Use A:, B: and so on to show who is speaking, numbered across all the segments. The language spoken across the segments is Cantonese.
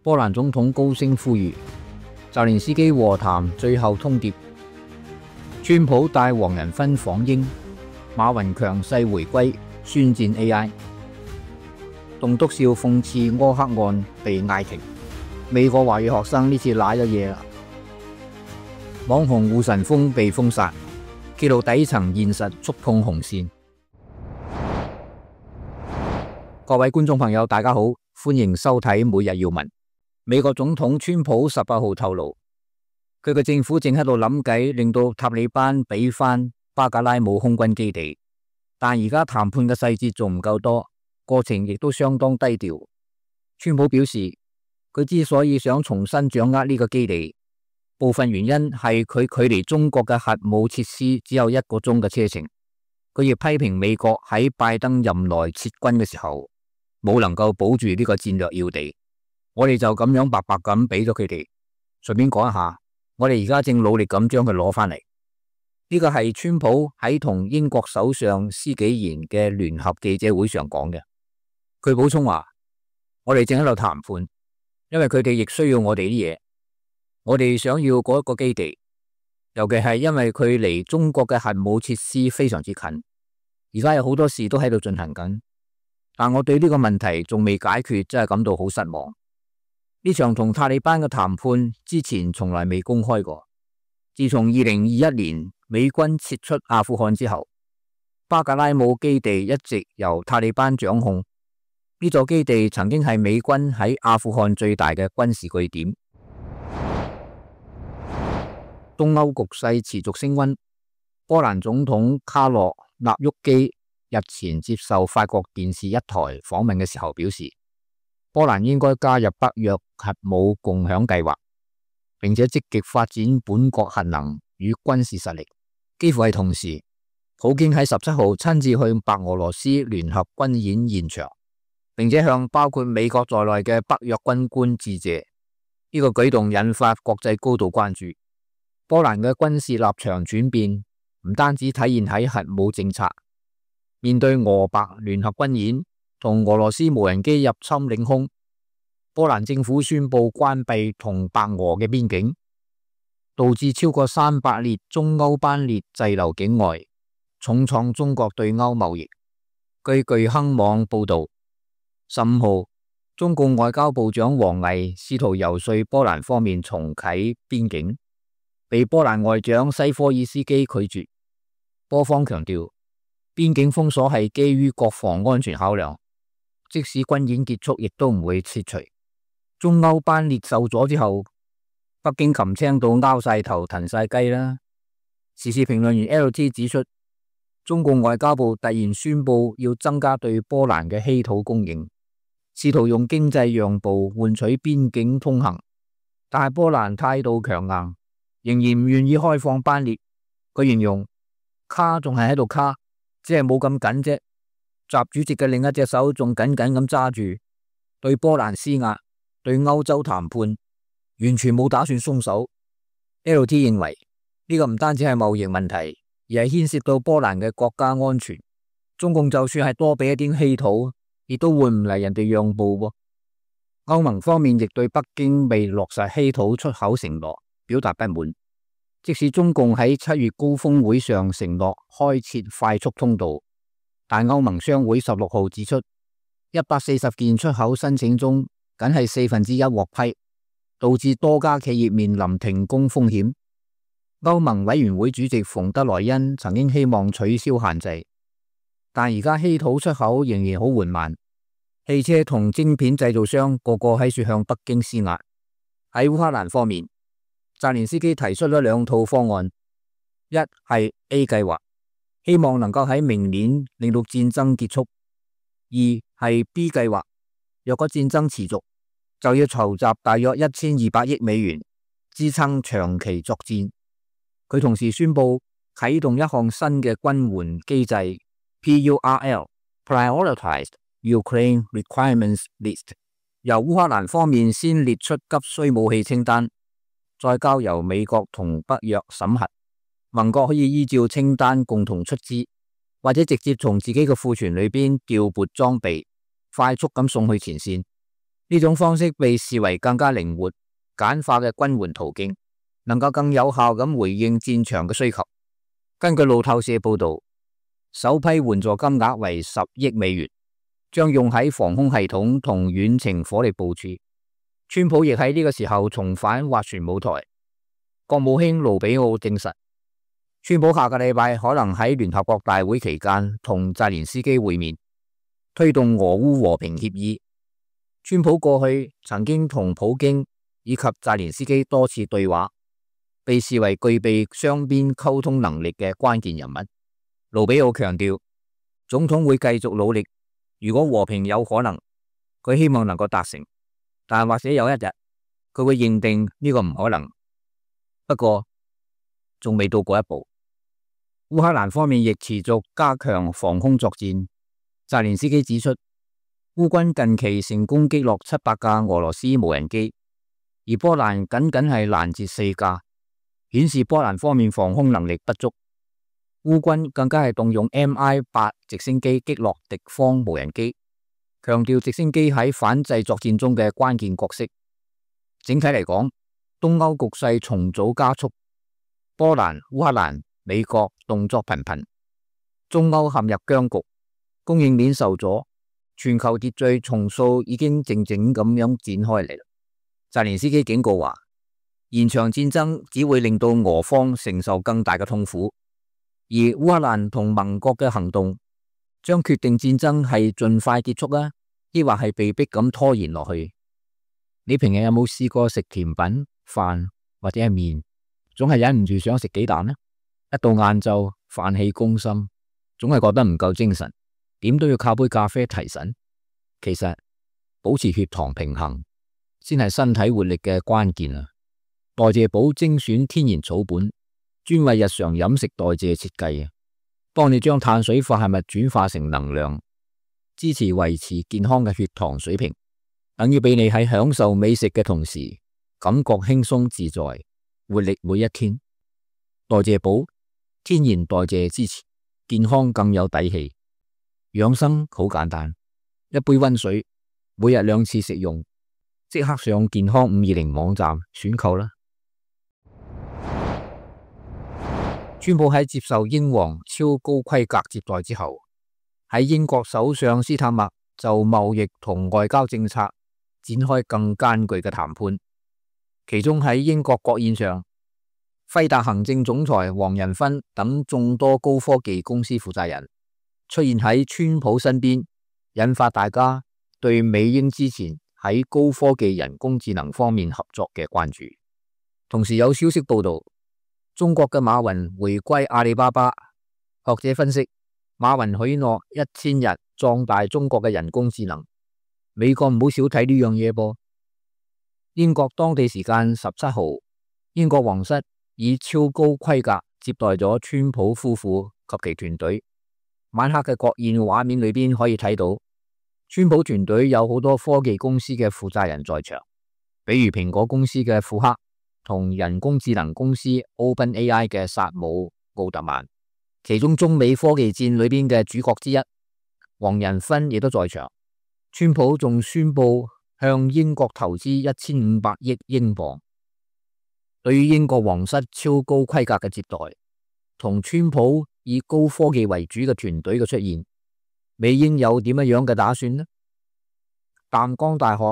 A: 波蘭總統高聲呼籲澤連斯基和談最後通牒。川普帶黃仁勳訪英，馬雲強勢回歸，宣戰 AI。棟篤笑諷刺柯克案被嗌停，美國華語學生呢次瀨咗嘢啦。網紅護神風被封殺，揭露底層現實觸碰紅線。各位觀眾朋友大家好，歡迎收睇每日要聞。美國總統川普18號透露，佢嘅政府正喺度諗計令到塔利班俾翻巴格拉姆空軍基地，但而家談判嘅細節仲唔夠多，過程亦都相當低調。川普表示，佢之所以想重新掌握呢個基地，部分原因係佢距離中國嘅核武設施只有1個鐘嘅車程。佢亦批評美國喺拜登任內撤軍嘅時候冇能夠保住呢個戰略要地，我哋就咁樣白白咁俾咗佢哋。順便講一下，我哋而家正努力咁將佢攞翻嚟。呢個係川普喺同英國首相施紀賢嘅聯合記者會上講嘅。佢補充話，我哋正喺度談判，因為佢哋亦需要我哋啲嘢。我哋想要嗰一個基地，尤其係因為佢離中國嘅核武設施非常之近。而家有好多事都喺度進行緊，但我對呢個問題仲未解決，真係感到好失望。呢場同塔利班嘅談判之前從來未公開過。自從2021年美軍撤出阿富汗之後，巴格拉姆基地一直由塔利班掌控。呢座基地曾經係美軍喺阿富汗最大嘅軍事據點。東歐局勢持續升溫，波蘭總統卡洛納沃基日前接受法國電視一台訪問嘅時候表示，波蘭應該加入北約核武共享計劃，並且積極發展本國核能與軍事實力。幾乎係同時，普京喺17號親自去白俄羅斯聯合軍演現場，並且向包括美國在內嘅北約軍官致謝。呢個舉動引發國際高度關注。波蘭嘅軍事立場轉變唔單止體現喺核武政策，面對俄白聯合軍演同俄羅斯無人機入侵領空，波蘭政府宣布關閉同白俄嘅邊境，導致超過300列中歐班列滯留境外，重創中國對歐貿易。據巨亨網報道，15號中共外交部長王毅試圖游說波蘭方面重啟邊境，被波蘭外長西科爾斯基拒絕。波方強調，邊境封鎖係基於國防安全考量，即使軍演結束亦都唔會撤除。中歐班列受阻之後，北京擒青到拗晒頭騰晒雞啦。時事評論員 LT 指出，中共外交部突然宣布要增加對波蘭嘅稀土供應，試圖用經濟讓步換取邊境通行，但係波蘭態度強硬，仍然唔願意開放班列。佢形容卡仲係喺度卡，只係冇咁緊啫。習主席嘅另一隻手仲緊緊咁揸住，對波蘭施壓，對歐洲談判，完全冇打算鬆手。LT 認為呢個唔單止係貿易問題，而係牽涉到波蘭嘅國家安全。中共就算係多俾一啲稀土，亦都換唔嚟人哋讓步喎。歐盟方面亦對北京未落實稀土出口承諾表達不滿。即使中共喺7月高峰會上承諾開設快速通道，但歐盟商會16號指出，140件出口申請中，僅係1/4獲批，導致多家企業面臨停工風險。歐盟委員會主席馮德萊恩曾經希望取消限制，但而家稀土出口仍然好緩慢。汽車同晶片製造商個個喺處向北京施壓。喺烏克蘭方面，澤連斯基提出咗2套方案，一係 A 計劃，希望能夠喺明年令到戰爭結束；二係 B 計劃，若果戰爭持續，就要籌集大約1200億美元，支撐長期作戰。佢同時宣布啟動一項新嘅軍援機制 PURL Prioritized Ukraine Requirements List， 由烏克蘭方面先列出急需武器清單，再交由美國同北約審核，盟國可以依照清單共同出資，或者直接從自己嘅庫存裏邊調撥裝備，快速咁送去前線。呢種方式被視為更加靈活、簡化嘅軍援途徑，能夠更有效咁回應戰場嘅需求。根據路透社報道，首批援助金額為10億美元，將用喺防空系統同遠程火力部署。川普亦喺呢個時候重返斡旋舞台。國務卿盧比奧證實，川普下個禮拜可能喺聯合國大會期間同澤連斯基會面，推動俄烏和平協議。川普過去曾經同普京以及澤連斯基多次對話，被視為具備雙邊溝通能力嘅關鍵人物。盧比奧強調，總統會繼續努力，如果和平有可能，佢希望能夠達成，但或者有一日佢會認定呢個唔可能。不過仲未到嗰一步。烏克蘭方面亦持續加強防空作戰。澤連斯基指出，烏軍近期成功擊落700架俄羅斯無人機，而波蘭僅僅係攔截4架，顯示波蘭方面防空能力不足。烏軍更加係動用 Mi-8直升機擊落敵方無人機，強調直升機喺反制作戰中嘅關鍵角色。整體嚟講，東歐局勢重組加速，波蘭、烏克蘭、美國動作頻頻，中歐陷入僵局，供應鏈受阻，全球秩序重塑已經靜靜咁樣展開嚟。澤連斯基警告話，延長戰爭只會令到俄方承受更大嘅痛苦，而烏克蘭同盟國嘅行動將決定戰爭係盡快結束啊，抑或係被迫咁拖延落去。你平日有冇試過食甜品、飯或者係麵，總係忍唔住想食幾啖呢？一到晏晝飯氣攻心，總係覺得唔夠精神，點都要靠杯咖啡提神。其實保持血糖平衡先係身體活力嘅關鍵啊！代謝寶精選天然草本，專為日常飲食代謝設計啊，幫你將碳水化合物轉化成能量，支持維持健康嘅血糖水平，等於俾你喺享受美食嘅同時，感覺輕鬆自在，活力每一天。代謝寶天然代謝支持，健康更有底氣。養生好簡單，一杯溫水，每日2次食用，即刻上健康520網站選購啦。川普喺接受英皇超高規格接待之後，喺英國首相斯塔默就貿易同外交政策展開更艱巨嘅談判。其中喺英國國宴上，輝達行政總裁黃仁勳等眾多高科技公司負責人出現喺川普身邊，引發大家對美英之前喺高科技人工智能方面合作嘅關注。同時有消息報道，中國嘅馬雲回歸阿里巴巴。學者分析，馬雲許諾1000日壯大中國嘅人工智能，美國唔好少睇呢樣嘢噃。英國當地時間17號，英國皇室以超高規格接待咗川普夫婦及其團隊。晚黑嘅國宴畫面裏邊可以睇到，川普團隊有好多科技公司嘅負責人在場，比如蘋果公司嘅庫克同人工智能公司 OpenAI 嘅薩姆奧特曼。其中中美科技戰裏邊嘅主角之一，黃仁勳亦都在場。川普仲宣布向英國投資1500億英鎊。對於英國皇室超高規格嘅接待，同川普以高科技為主嘅團隊嘅出現，美英有點樣嘅打算呢？淡江大學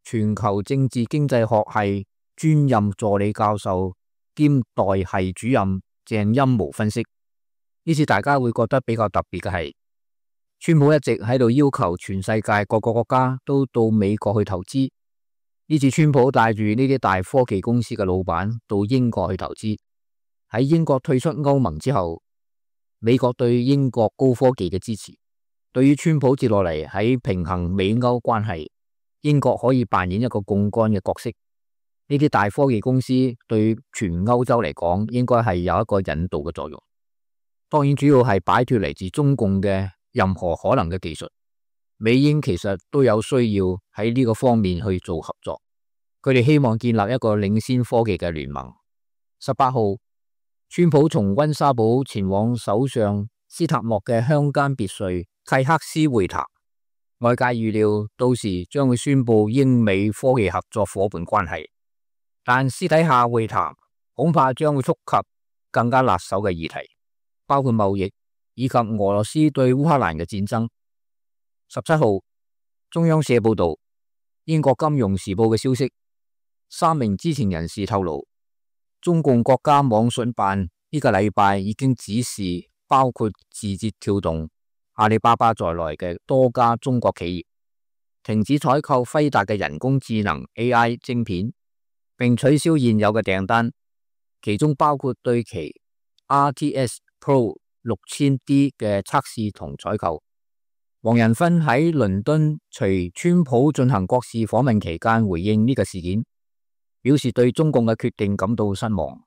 A: 全球政治經濟學系專任助理教授兼代系主任鄭欽模分析，呢次大家會覺得比較特別嘅係，川普一直喺度要求全世界各個國家都到美國去投資。呢次川普帶住呢啲大科技公司嘅老闆到英國去投資。喺英國退出歐盟之後，美國對英國高科技嘅支持，對於川普接落嚟喺平衡美歐關係，英國可以扮演一個槓桿嘅角色。呢啲大科技公司對全歐洲嚟講，應該係有一個引導嘅作用。當然主要係擺脫嚟自中共嘅任何可能嘅技術。美英其實都有需要喺呢個方面去做合作。佢哋希望建立一個領先科技嘅聯盟。18號，川普從溫莎堡前往首相斯塔莫嘅鄉間別墅契克斯會談。外界預料到時將會宣布英美科技合作夥伴關係，但私底下會談恐怕將會觸及更加辣手嘅議題，包括貿易以及俄羅斯對烏克蘭嘅戰爭。17號，中央社報道，英國金融時報嘅消息，3名知情人士透露，中共國家網信辦呢個禮拜已經指示包括字節跳動、阿里巴巴在內嘅多家中國企業停止採購輝達嘅人工智能 AI 晶片，並取消現有嘅訂單，其中包括對其 RTS Pro 6000D 嘅測試同採購。黃仁勳喺倫敦隨川普進行國事訪問期間回應呢個事件，表示對中共嘅決定感到失望，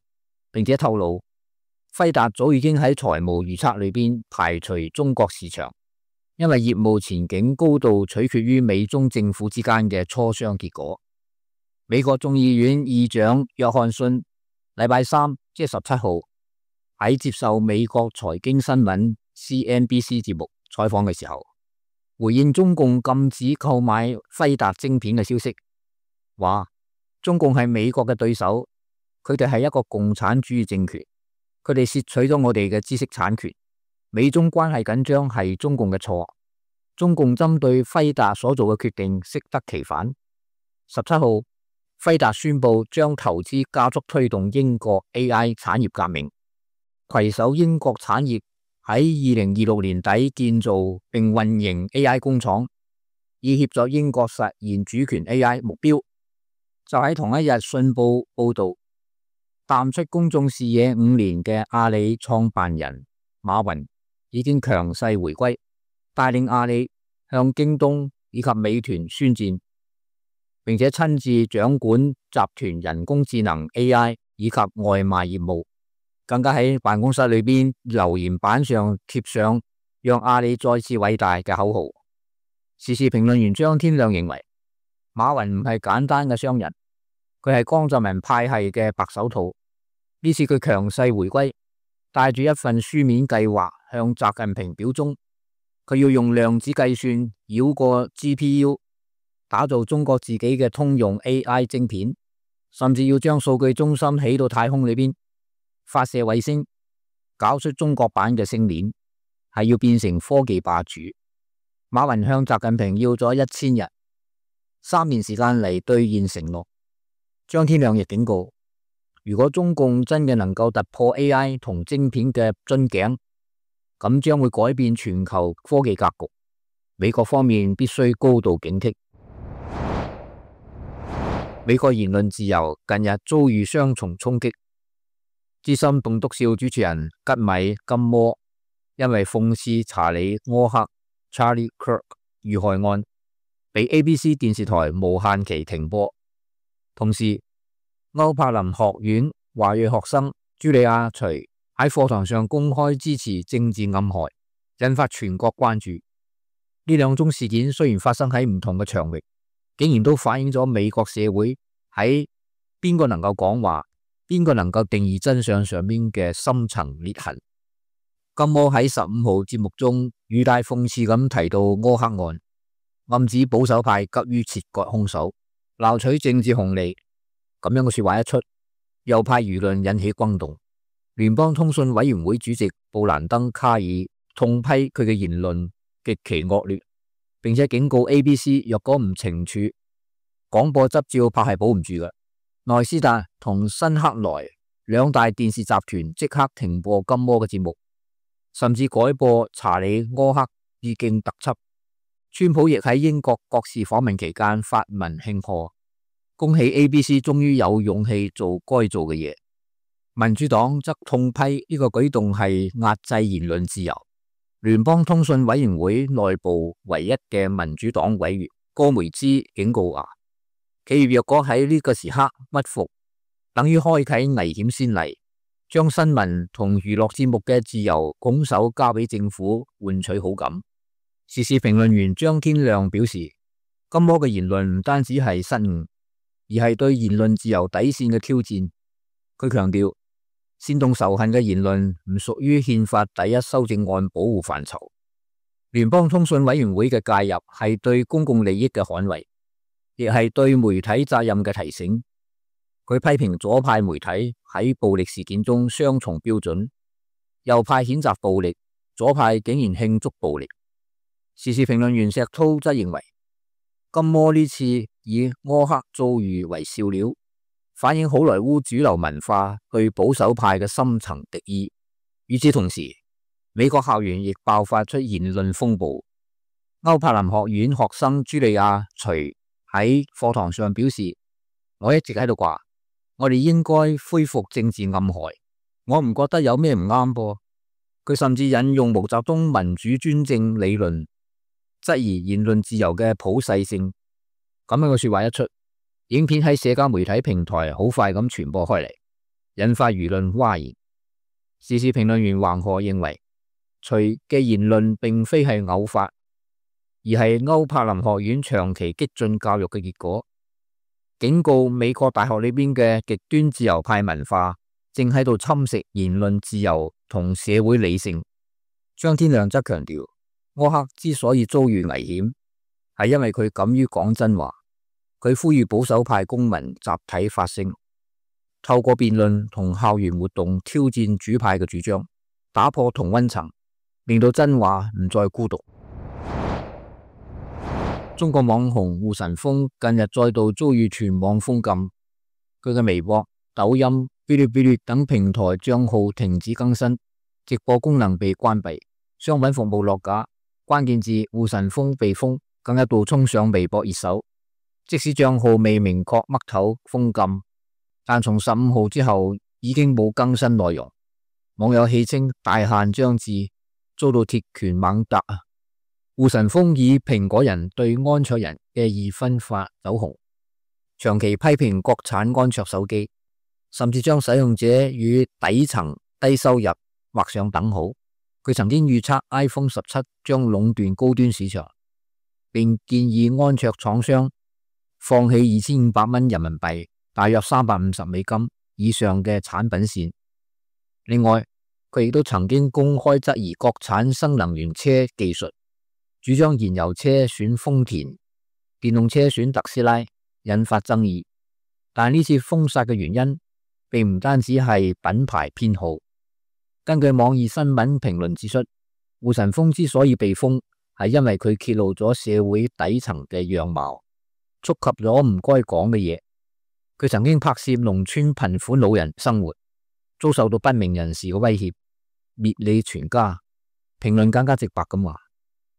A: 並且透露輝達早已經喺財務預測裏邊排除中國市場，因為業務前景高度取決於美中政府之間嘅磋商結果。美國眾議院議長約翰遜禮拜三即係17號喺接受美國財經新聞 CNBC 節目採訪嘅時候，回應中共禁止購買輝達晶片嘅消息，話中共係美國嘅對手，佢哋係一個共產主義政權，佢哋竊取咗我哋嘅知識產權，美中關係緊張係中共嘅錯，中共針對輝達所做嘅決定適得其反。17號，輝達宣布將投資加速推動英國 AI 產業革命，攜手英國產業喺2026年底建造並運營 AI 工廠，以協助英國實現主權 AI 目標。就喺同一日，信報報道，淡出公眾視野5年嘅阿里創辦人馬雲已經強勢回歸，帶領阿里向京東以及美團宣戰，並且親自掌管集團人工智能 AI 以及外賣業務，更加喺辦公室裏邊留言板上貼上讓阿里再次偉大嘅口號。時事評論員張天亮認為，馬雲唔係簡單嘅商人，佢係江澤民派系嘅白手套。呢次佢強勢回歸，帶住一份書面計劃向習近平表忠，佢要用量子計算繞過 GPU， 打造中國自己嘅通用 AI 晶片，甚至要將數據中心起到太空裏邊，發射衛星，搞出中國版嘅星鏈，係要變成科技霸主。馬雲向習近平要咗1000日，3年時間嚟兌現承諾。張天亮亦警告，如果中共真嘅能夠突破 AI 同晶片嘅樽頸，咁將會改變全球科技格局。美國方面必須高度警惕。美國言論自由近日遭遇雙重衝擊。資深棟篤笑主持人吉米金摩因為諷刺查理柯克 Charlie Kirk 遇害案，被 ABC 電視台無限期停播。同時，歐柏林學院華裔學生朱莉亞徐喺課堂上公開支持政治暗害，引發全國關注。呢兩宗事件雖然發生喺唔同嘅場域，竟然都反映咗美國社會喺邊個能夠講話，邊個能夠定義真相上面嘅深層裂痕。金摩喺15號節目中語帶諷刺咁提到柯克案，暗指保守派急於切割兇手，撈取政治紅利。咁樣嘅說話一出，右派輿論引起轟動。聯邦通訊委員會主席布蘭登卡爾痛批佢嘅言論極其惡劣，並且警告 ABC 若果唔懲處，廣播執照怕係保唔住嘅。內斯達同辛克萊兩大電視集團即刻停播金摩嘅節目，甚至改播查理柯克致敬特輯。川普亦喺英國國事訪問期間發文慶賀，恭喜 ABC 終於有勇氣做該做嘅嘢。民主黨則痛批呢個舉動係壓制言論自由。聯邦通訊委員會內部唯一嘅民主黨委員戈梅茲警告話，企業若果喺呢個時刻屈服，等於開啟危險先例，將新聞同娛樂節目嘅自由拱手交俾政府換取好感。時事評論員張天亮表示，金摩嘅言論唔單止係失誤，而係對言論自由底線嘅挑戰。佢強調，煽動仇恨嘅言論唔屬於憲法第1修正案保護範疇。聯邦通訊委員會嘅介入係對公共利益嘅捍衛，亦係對媒體責任嘅提醒。佢批評左派媒體喺暴力事件中雙重標準，右派譴責暴力，左派竟然慶祝暴力。時事評論員石濤則認為，金魔呢次以柯克遭遇為笑料，反映好萊塢主流文化對保守派嘅深層敵意。與此同時，美國校園亦爆發出言論風暴。歐柏林學院學生茱莉亞徐喺課堂上表示，我一直喺度話，我哋應該恢復政治暗害，我唔覺得有咩唔啱噃。佢甚至引用毛澤東民主專政理論，質疑言論自由嘅普世性。咁樣嘅說話一出，影片喺社交媒體平台好快咁傳播開嚟，引發輿論譁然。時事評論員橫河認為，徐嘅言論並非係偶發，而係歐柏林學院長期激進教育嘅結果，警告美國大學裏邊嘅極端自由派文化正喺度侵蝕言論自由同社會理性。張天亮則強調，柯克之所以遭遇危險，係因為佢敢於講真話。佢呼籲保守派公民集體發聲，透過辯論同校園活動挑戰主派嘅主張，打破同溫層，令到真話唔再孤獨。中國網紅胡晨峰近日再度遭遇全網封禁，佢嘅微博、抖音、嗶哩嗶哩等平台賬號停止更新，直播功能被關閉，商品服務落架，關鍵字胡晨峰被封，更一度衝上微博熱搜。即使賬號未明確嘜頭封禁，但從15號之後已經冇更新內容。網友戲稱大限將至，遭到鐵拳猛打。胡晨峰以蘋果人對安卓人嘅二分法走紅，長期批評國產安卓手機，甚至將使用者與底層低收入畫上等號。佢曾經預測 iPhone 17將壟斷高端市場，並建議安卓廠商放棄2500蚊人民幣，大約350美金以上嘅產品線。另外，佢亦都曾經公開質疑國產新能源車技術，主張燃油車選豐田，電動車選特斯拉，引發爭議。但呢次封殺嘅原因，並唔單止係品牌偏好。根據網易新聞評論指出，胡晨峰之所以被封，係因為佢揭露咗社會底層嘅樣貌，觸及咗唔該講嘅嘢。佢曾經拍攝農村貧苦老人生活，遭受到不明人士嘅威脅，滅你全家。評論更加直白咁話，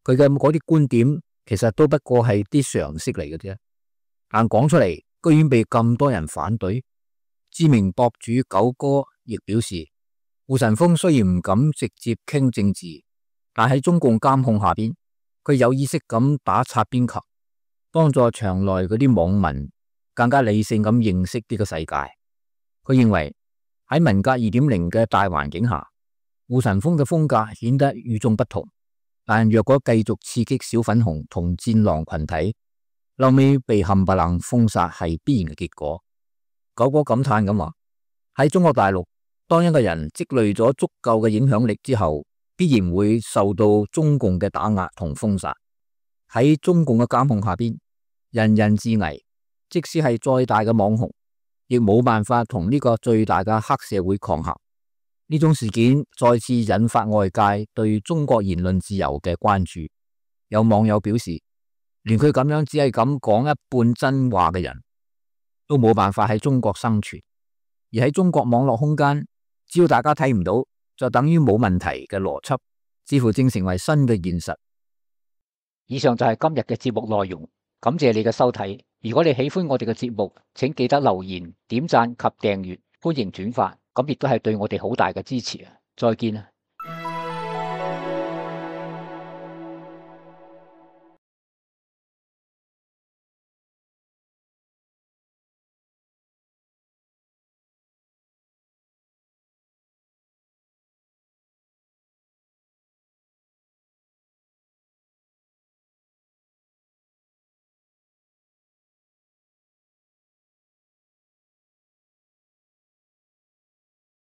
A: 佢嘅嗰啲觀點其實都不過係啲常識嚟嘅啫，但講出嚟居然被咁多人反對。知名博主九哥亦表示，胡晨峰雖然唔敢直接傾政治，但喺中共監控下邊，佢有意識咁打擦邊球，幫助場內嗰啲網民更加理性咁認識呢個世界。佢認為喺文革2.0嘅大環境下，胡晨峰嘅風格顯得與眾不同。但若果繼續刺激小粉紅同戰狼群體，後尾被冚唪唥封殺係必然嘅結果。九哥感嘆咁話：喺中國大陸，當一個人積累咗足夠嘅影響力之後，必然會受到中共嘅打壓同封殺。喺中共嘅監控下邊，人人自危，即使係再大嘅網紅，亦冇辦法同呢個最大嘅黑社會抗衡。呢種事件再次引發外界對中國言論自由嘅關注。有網友表示，連佢咁樣只係咁講一半真話嘅人都冇辦法喺中國生存。而喺中國網絡空間，只要大家睇唔到，就等於冇問題嘅邏輯，似乎正成為新嘅現實。以上就係今日嘅節目內容，感謝你嘅收睇。如果你喜歡我哋嘅節目，請記得留言、點讚及訂閱，歡迎轉發，咁亦都係對我哋好大嘅支持啊！再見啊！